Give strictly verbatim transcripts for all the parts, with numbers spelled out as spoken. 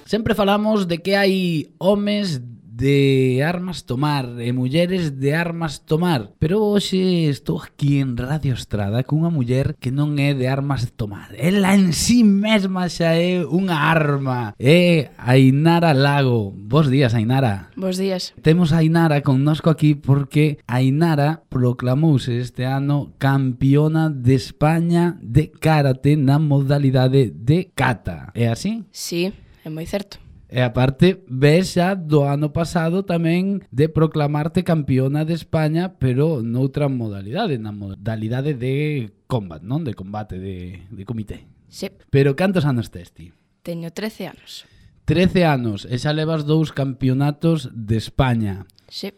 Sempre falamos de que hai homes de armas tomar e mulleres de armas tomar, pero hoxe estou aquí en Radio Estrada cunha muller que non é de armas tomar. Ela en sí mesma xa é unha arma. É Ainara Lago. Bos días, Ainara. Bos días. Temos a Ainara connosco aquí porque Ainara proclamouse este ano campiona de España de karate na modalidade de kata. É así? Sí, é moi certo. E aparte, ves xa do ano pasado tamén de proclamarte campiona de España, pero noutra modalidade, na modalidade de combat, non? De combate, de, de comité. Sí. Pero cantos anos tes ti? Teño trece anos. trece anos, e xa levas dous campeonatos de España. Sí.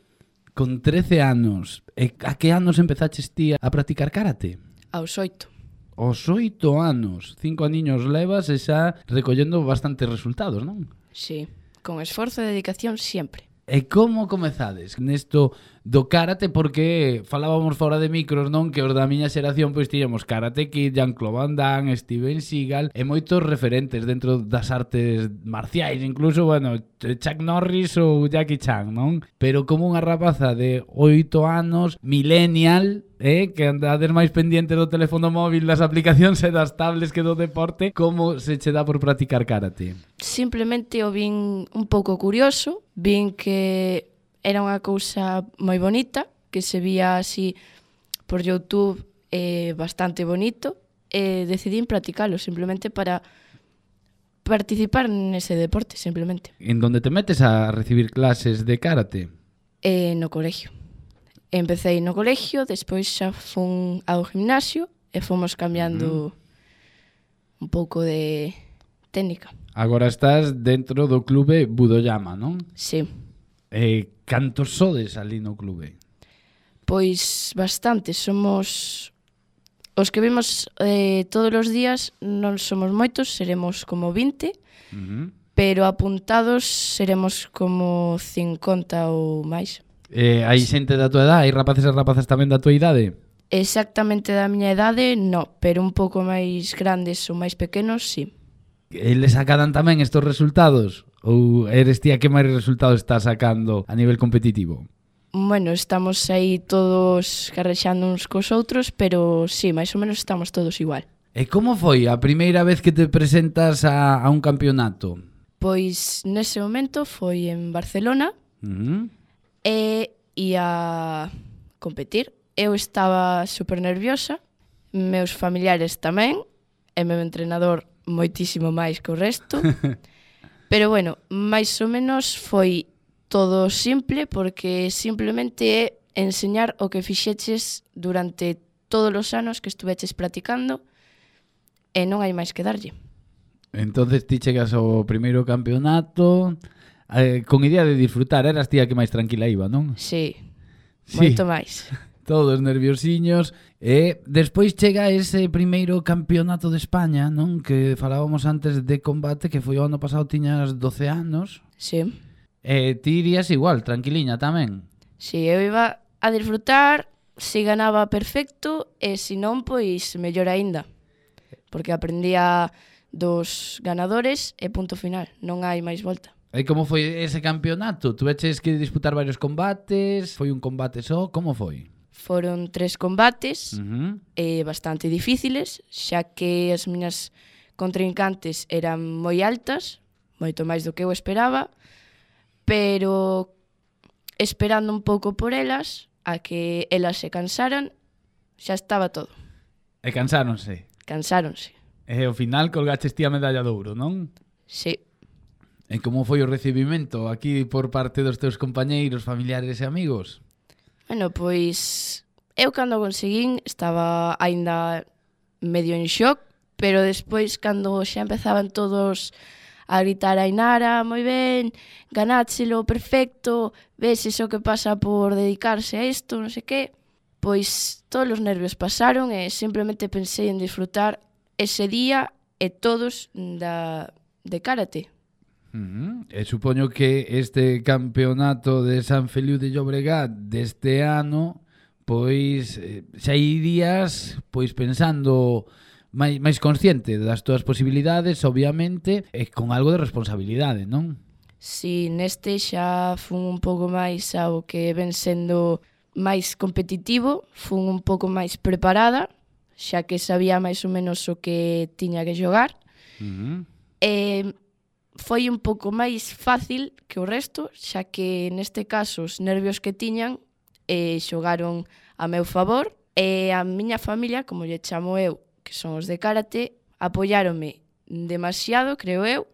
Con trece anos, e a que anos empezaches ti a practicar karate? Aos oito. Aos oito anos, cinco aniños levas e xa recollendo bastantes resultados, non? Sí, con esforzo e dedicación sempre. E como comezades nesto do karate? Porque falábamos fora de micros, non? Que os da miña xeración pois tiñamos Karate Kid, Jean-Claude Van Damme, Steven Seagal e moitos referentes dentro das artes marciais, incluso, bueno, Chuck Norris ou Jackie Chan, non? Pero como unha rapaza de oito anos, millennial, eh, que andades máis pendiente do teléfono móvil, das aplicacións e das tablets que do deporte, como se che dá por practicar karate? Simplemente o vin un pouco curioso, vin que era unha cousa moi bonita, que se vía así por YouTube eh, bastante bonito, e decidín practicalo simplemente para participar nese deporte, simplemente. En donde te metes a recibir clases de karate? Eh, no colegio. Empecé no colegio, despois xa fun ao gimnasio e fomos cambiando uh-huh. un pouco de técnica. Agora estás dentro do clube Budoyama, non? Sí. Eh, cantos sodes ali no clube? Pois bastantes, somos os que vimos eh, todos os días, non somos moitos, seremos como vinte, Uh-huh. pero apuntados seremos como cincuenta ou máis. Eh, hai xente da tua edade? Hai rapaces e rapazas tamén da tua idade? Exactamente da miña idade, no, pero un pouco máis grandes ou máis pequenos, sí. Eles sacadan tamén estos resultados? Ou eres ti a que máis resultados estás sacando a nivel competitivo? Bueno, estamos aí todos carrexando uns cos outros, pero sí, máis ou menos estamos todos igual. E como foi a primeira vez que te presentas a, a un campeonato? Pois nese momento foi en Barcelona, Uh-huh. e ia competir. Eu estaba super nerviosa, meus familiares tamén, e meu entrenador moitísimo máis que o resto. Pero bueno, máis ou menos foi todo simple, porque simplemente é enseñar o que fixeches durante todos os anos que estuveches practicando, e non hai máis que darlle. Entonces ti chegas ao primeiro campeonato eh, con idea de disfrutar, eras ti a que máis tranquila iba, non? Sí, Sí. moito máis. Todos nerviosiños. E despois chega ese primeiro campeonato de España, non? Que falábamos antes de combate, que foi o ano pasado, tiñas doce anos. Sí. E ti irías igual, tranquiliña tamén. Si, eu iba a disfrutar, se ganaba perfecto, e se non, pois mellor aínda. Porque aprendía dos ganadores e punto final, non hai máis volta. E como foi ese campeonato? Tu veches que disputar varios combates? Foi un combate só? Como foi? Foron tres combates, Uh-huh. e bastante difíciles, xa que as miñas contrincantes eran moi altas, moito máis do que eu esperaba, pero esperando un pouco por elas, a que elas se cansaran, xa estaba todo. E cansáronse. Cansáronse. E ao final colgaches ti a medalla de ouro, non? Sí. E como foi o recibimento aquí por parte dos teus compañeiros, familiares e amigos? Bueno, pois eu cando conseguín estaba aínda medio en shock, pero despois cando xa empezaban todos a gritar a Ainara, moi ben, ganáchelo, perfecto, ves iso que pasa por dedicarse a isto, non sei que, pois todos os nervios pasaron e simplemente pensei en disfrutar ese día e todos da, de karate. Uh-huh. E supoño que este campeonato de San Feliu de Llobregat deste ano, pois eh, xa irías pois pensando máis, máis consciente das túas posibilidades, obviamente, e con algo de responsabilidade, non? Si, neste xa fun un pouco máis ao que ven sendo máis competitivo, fun un pouco máis preparada, xa que sabía máis ou menos o que tiña que xogar. Uh-huh. E foi un pouco máis fácil que o resto, xa que neste caso os nervios que tiñan eh, xogaron a meu favor, e a miña familia, como lle chamo eu, que son os de karate, apoiáronme demasiado, creo eu,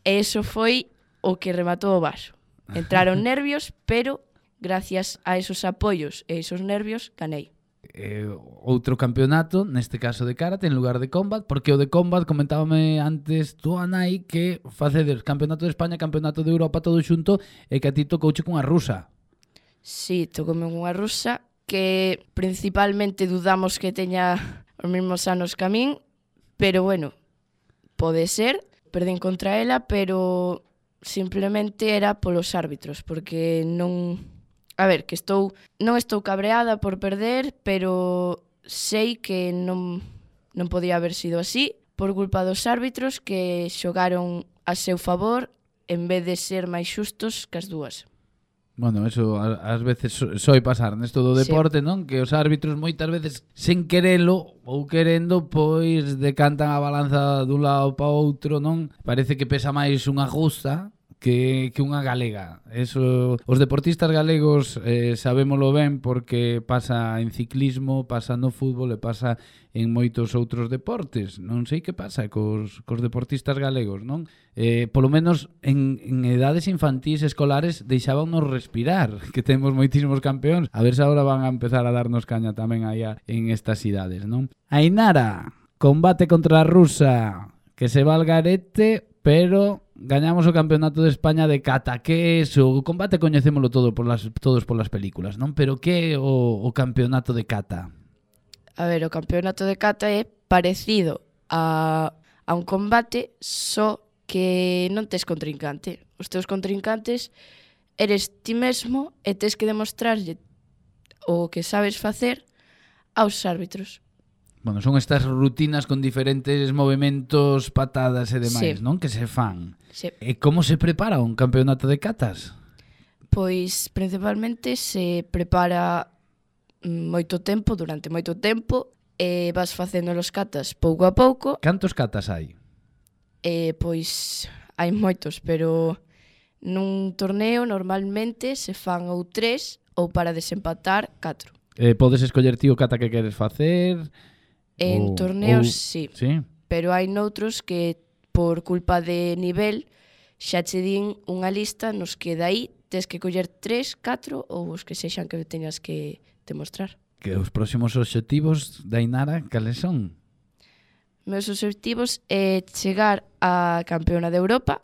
e eso foi o que rematou o vaso. Entraron nervios, pero gracias a esos apoios e esos nervios, ganei. Eh, outro campeonato, neste caso de karate, en lugar de combat, porque o de combat comentábame antes tú, Anai, que facedes campeonato de España, campeonato de Europa, todo xunto, e que a ti tocouche cunha rusa. Sí, tocoume unha rusa que principalmente dudamos que teña os mesmos anos que a min, pero bueno, pode ser, perdín contra ela, pero simplemente era polos árbitros, porque non... A ver, que estou non estou cabreada por perder, pero sei que non, non podía haber sido así por culpa dos árbitros que xogaron a seu favor en vez de ser máis xustos que as dúas. Bueno, eso ás veces soi pasar nesto do deporte, sí. Non? Que os árbitros moitas veces sen querelo ou querendo, pois decantan a balanza dun lado para outro, non? Parece que pesa máis unha justa que, que unha galega. Eso, os deportistas galegos eh, sabémolo ben porque pasa en ciclismo, pasa no fútbol e pasa en moitos outros deportes. Non sei que pasa cos, cos deportistas galegos, non? Eh, polo menos en, en edades infantís escolares deixábanos respirar, que temos moitísimos campeóns. A ver se agora van a empezar a darnos caña tamén aí en estas idades, non? Ainara, combate contra a rusa, que se va al garete, pero gañamos o campeonato de España de kata. Que é eso? O combate coñecémolo todo por las, todos polas películas, non? Pero que é o, o campeonato de kata? A ver, o campeonato de kata é parecido a, a un combate, só que non tes contrincante. Os teus contrincantes eres ti mesmo e tes que demostrarlle o que sabes facer aos árbitros. Bueno, son estas rutinas con diferentes movimentos, patadas e demais, sí. Non? Que se fan. Sí. E como se prepara un campeonato de katas? Pois, principalmente, se prepara moito tempo, durante moito tempo, e vas facendo os katas pouco a pouco. Cantos katas hai? E, pois, hai moitos, pero nun torneo normalmente se fan ou tres ou para desempatar catro. Eh, podes escoller ti o kata que queres facer? En ou, torneos, ou... sí. sí. Pero hai noutros que, por culpa de nivel, xa che din unha lista nos que dai tes que coller tres, catro ou os que sexan que teñas que demostrar. Que os próximos obxectivos da Ainara, cales son? Meus obxectivos é chegar a campeona de Europa,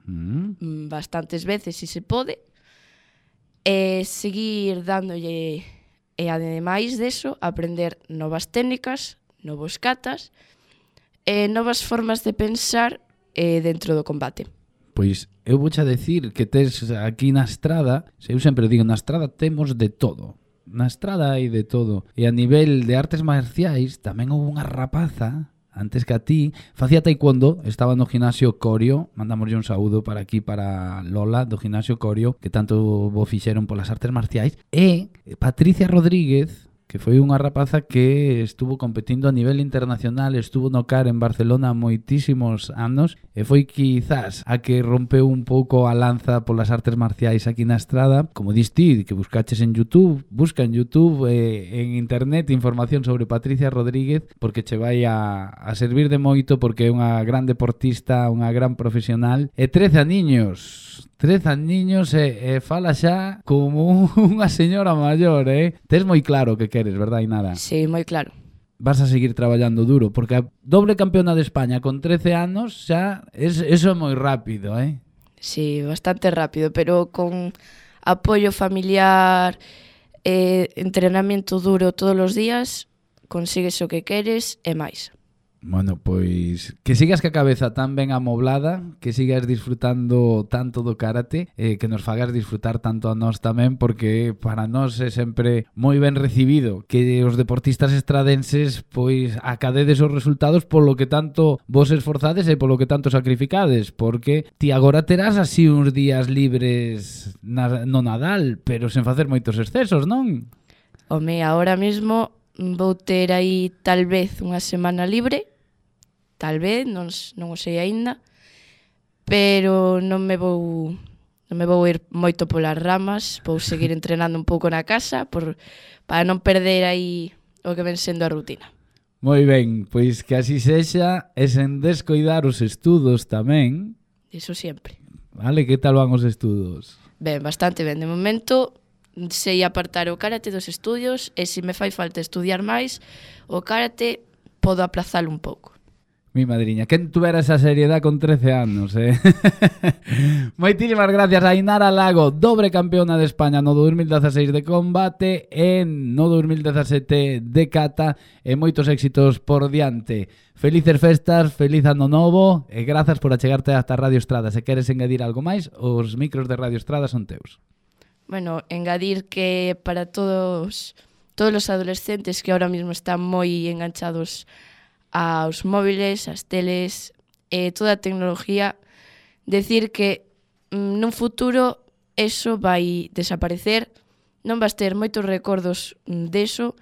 mm. bastantes veces se se pode, e seguir dándolle, e ademais deso, aprender novas técnicas, novos katas, e novas formas de pensar eh, dentro do combate. Pois eu vouche a decir que tes aquí na estrada, eu sempre digo, na estrada temos de todo. Na estrada hai de todo. E a nivel de artes marciais tamén houve unha rapaza, antes que a ti, facía taekwondo, estaba no gimnasio Corio, mandamoslle un saúdo para aquí, para Lola, do gimnasio Corio, que tanto bo fixeron polas artes marciais, e Patricia Rodríguez, que foi unha rapaza que estuvo competindo a nivel internacional, estuvo no C A R en Barcelona moitísimos anos, e foi quizás a que rompeu un pouco a lanza polas artes marciais aquí na estrada. Como dis ti, que buscaches en YouTube, busca en YouTube, eh, en internet, información sobre Patricia Rodríguez, porque che vai a, a servir de moito, porque é unha gran deportista, unha gran profesional, e trece aniños, trece aniños e, e fala xa como unha señora maior, eh? Tes moi claro que queres, verdad, Ainara? Sí, moi claro. Vas a seguir traballando duro, porque a doble campeona de España con trece anos xa, es, eso é moi rápido, eh? Sí, bastante rápido, pero con apoio familiar, eh, entrenamiento duro todos os días, consigues o que queres e máis. Bueno, pois que sigas ca cabeza tan ben amoblada, que sigas disfrutando tanto do karate, eh, que nos fagas disfrutar tanto a nós tamén, porque para nós é sempre moi ben recibido que os deportistas estradenses pois acadedes os resultados polo que tanto vos esforzades e polo que tanto sacrificades, porque ti agora terás así uns días libres na, no Nadal, pero sen facer moitos excesos, non? Home, ahora mesmo vou ter aí tal vez unha semana libre, tal vez, non, non o sei aínda, pero non me vou non me vou ir moito polas ramas, vou seguir entrenando un pouco na casa por, para non perder aí o que ven sendo a rutina. Moi ben, pois que así sexa e sen descoidar os estudos tamén. Iso sempre. Vale, que tal van os estudos? Ben, bastante ben. De momento sei apartar o karate dos estudios e se me fai falta estudiar máis, o karate podo aplazalo un pouco. Mi madriña, quen tuvera esa seriedade con trece anos, eh? Moitísimas gracias a Ainara Lago, dobre campeona de España no dos mil dezaseis de combate e no dos mil dezasete de kata, e moitos éxitos por diante. Felices festas, feliz ano novo e grazas por achegarte hasta Radio Estrada. Se queres engadir algo máis, os micros de Radio Estrada son teus. Bueno, engadir que para todos todos os adolescentes que ahora mismo están moi enganchados aos móviles, ás teles e toda a tecnología, decir que mm, nun futuro eso vai desaparecer, non vas ter moitos recordos deso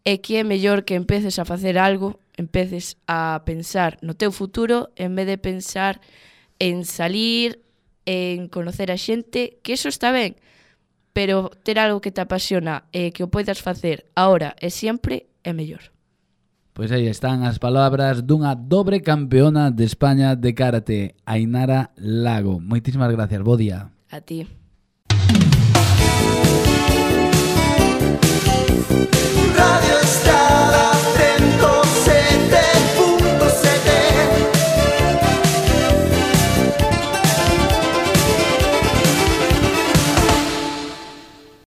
e que é mellor que empeces a facer algo, empeces a pensar no teu futuro en vez de pensar en salir, en conocer a xente, que eso está ben, pero ter algo que te apasiona e que o poidas facer ahora e sempre é mellor. Pois aí están as palabras dunha dobre campeona de España de karate, Ainara Lago. Moitísimas gracias, bo día. A ti.